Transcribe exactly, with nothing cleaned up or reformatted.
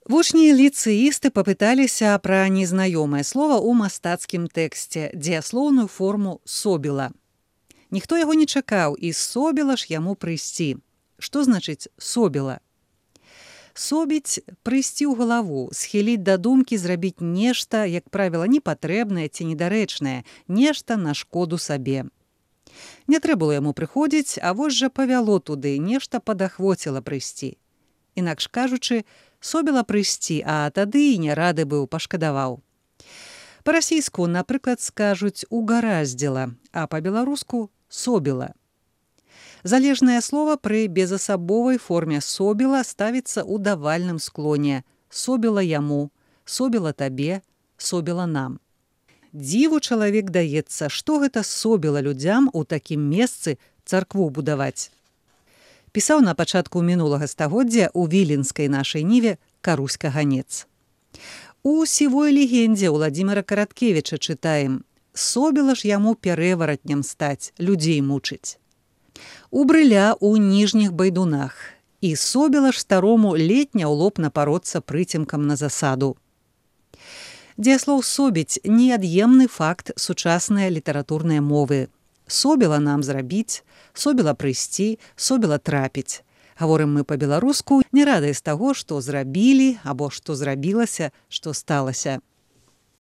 Вучні ліцэісты папыталіся пра незнаёмае слова ў мастацкім тэксце, дзеяслоўную форму «собіла». Ніхто яго не чакаў, і собіла ж яму прыйсці. Што значыць «собіла»? Собіць – прыйсці ў галаву, схіліць да думкі, зрабіць нешта, як правіла, непатрэбнае ці недарэчнае, нешта на шкоду сабе. Не трэба было яму прыходзіць, а вось жа павяло туды, нешта падахвоціла прыйсці. Інакш кажучы, собіла прыйсці, а тады і не рады быў, пашкадаваў. Па-расійску, напрыклад, скажуць «угараздзіла», а па-беларуску «собіла». Залежнае слова пры безасабовай форме «собіла» ставіцца ў давальным склоне. Собіла яму, собіла табе, собіла нам. Дзіву чалавек даецца, што гэта собіла людзям у такім месцы царкву будаваць. Пісаў на пачатку мінулага стагоддзя ў віленскай нашай ніве Карусь Каганец. У сівой легендзе Уладзіміра Караткевіча чытаем: «Собіла ж яму перэваратням стаць, людзей мучыць. У брыля ў ніжніх байдунах, і собіла ж старому летня ў лоб напароцца прыцемкам на засаду». Дзеяслоў «собіць» – неад'емны факт сучаснай літаратурнай мовы. Собіла нам зрабіць, собіла прыйсці, собіла трапіць. Гаворым мы па-беларуску, не радыя з таго, што зрабілі або што зрабілася, што сталася.